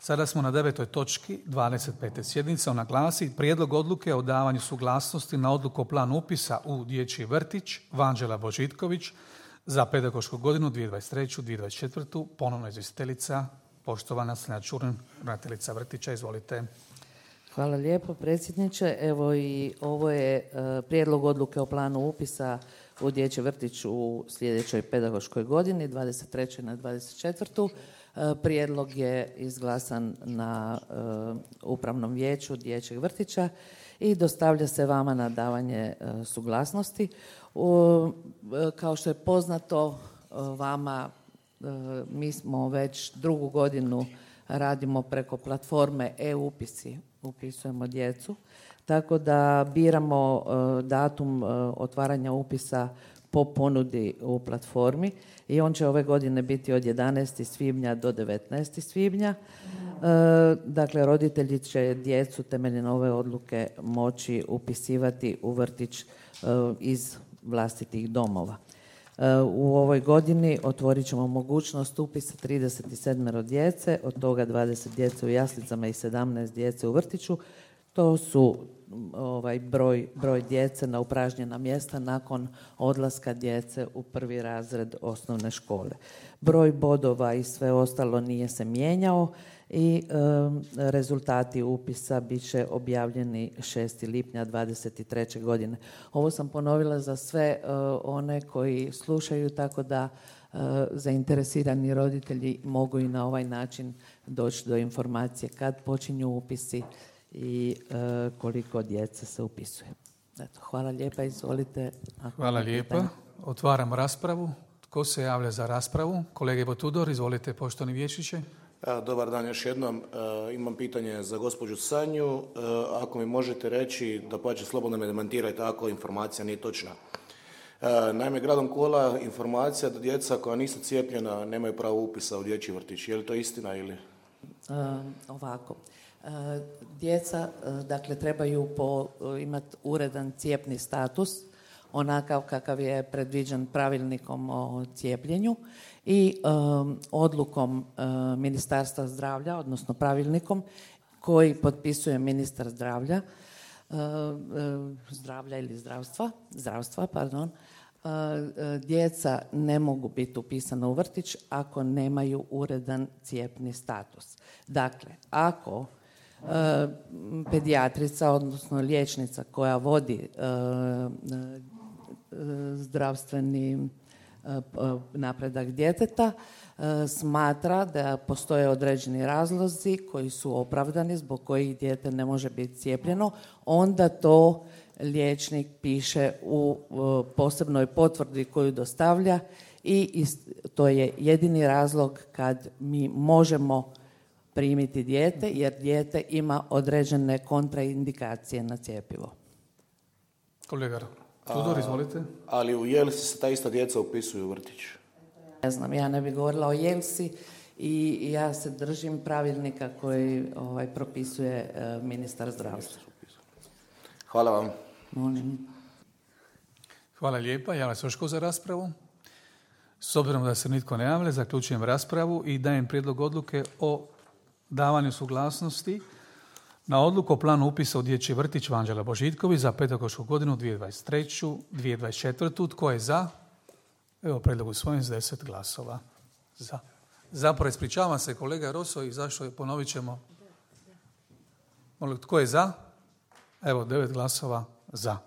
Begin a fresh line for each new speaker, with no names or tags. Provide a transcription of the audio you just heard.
Sada smo na 9. točki 25. sjednice. Ona glasi: Prijedlog odluke o davanju suglasnosti na odluku o planu upisa u dječji vrtić Vanđela Božitković za pedagošku godinu 2023-2024. Ponovno izvjestiteljica, poštovana Snježana Čurlin, ravnateljica vrtića. Izvolite.
Hvala lijepo, predsjedniče. Evo i ovo je prijedlog odluke o planu upisa u dječji vrtić u sljedećoj pedagoškoj godini, 23. na 24. Prijedlog je izglasan na upravnom vijeću dječjeg vrtića i dostavlja se vama na davanje suglasnosti. Kao što je poznato vama, mi smo već drugu godinu radimo preko platforme e-upisi, upisujemo djecu, tako da biramo datum otvaranja upisa po ponudi u platformi i on će ove godine biti od 11. svibnja do 19. svibnja. Dakle, roditelji će djecu temeljem ove odluke moći upisivati u vrtić iz vlastitih domova. U ovoj godini otvorit ćemo mogućnost upisa 37 djece, od toga 20 djece u jaslicama i 17 djece u vrtiću. To su broj djece na upražnjena mjesta nakon odlaska djece u prvi razred osnovne škole. Broj bodova i sve ostalo nije se mijenjao i rezultati upisa bit će objavljeni 6. lipnja 2023. godine. Ovo sam ponovila za sve one koji slušaju, tako da zainteresirani roditelji mogu i na ovaj način doći do informacije kad počinju upisi i koliko djece se upisuje. Eto, hvala lijepa, izvolite.
Hvala lijepa. Otvaram raspravu. Tko se javlja za raspravu? Kolega Ivo Tudor, izvolite, poštovani vijećniče.
Dobar dan još jednom. Imam pitanje za gospođu Sanju. Ako mi možete reći, da pače slobodno me demantirajte ako informacija nije točna. Naime, gradom kola informacija da djeca koja nisu cijepljena nemaju pravo upisa u dječji vrtić. Je li to istina ili?
Ovako. Djeca, dakle, trebaju imati uredan cijepni status, onakav kakav je predviđen pravilnikom o cijepljenju i odlukom Ministarstva zdravlja, odnosno pravilnikom koji potpisuje ministar zdravlja ili zdravstva, djeca ne mogu biti upisana u vrtić ako nemaju uredan cijepni status. Dakle, ako pedijatrica, odnosno liječnica koja vodi zdravstveni napredak djeteta smatra da postoje određeni razlozi koji su opravdani zbog kojih dijete ne može biti cijepljeno, onda to liječnik piše u posebnoj potvrdi koju dostavlja i to je jedini razlog kad mi možemo primiti dijete, jer dijete ima određene kontraindikacije na cjepivo.
Kolega Tudor, izvolite.
Ali u Jelsi se ta ista djeca upisuju u vrtić?
Ne znam, ja ne bih govorila o Jelsi i ja se držim pravilnika koji propisuje ministar zdravstva.
Hvala vam.
Molim.
Hvala lijepa. Javlja se još tko za raspravu? S obzirom da se nitko ne javlja, zaključujem raspravu i dajem prijedlog odluke o davanju suglasnosti na odluku o planu upisa u dječji vrtić Vanđela Božitković za pedagošku godinu 2023-2024. Tko je za? Evo, prijedlog usvojen s 10 glasova za. Zapravo, ispričavam se kolega Roso i zašto je, ponovit ćemo. Molim, tko je za? Evo, 9 glasova za.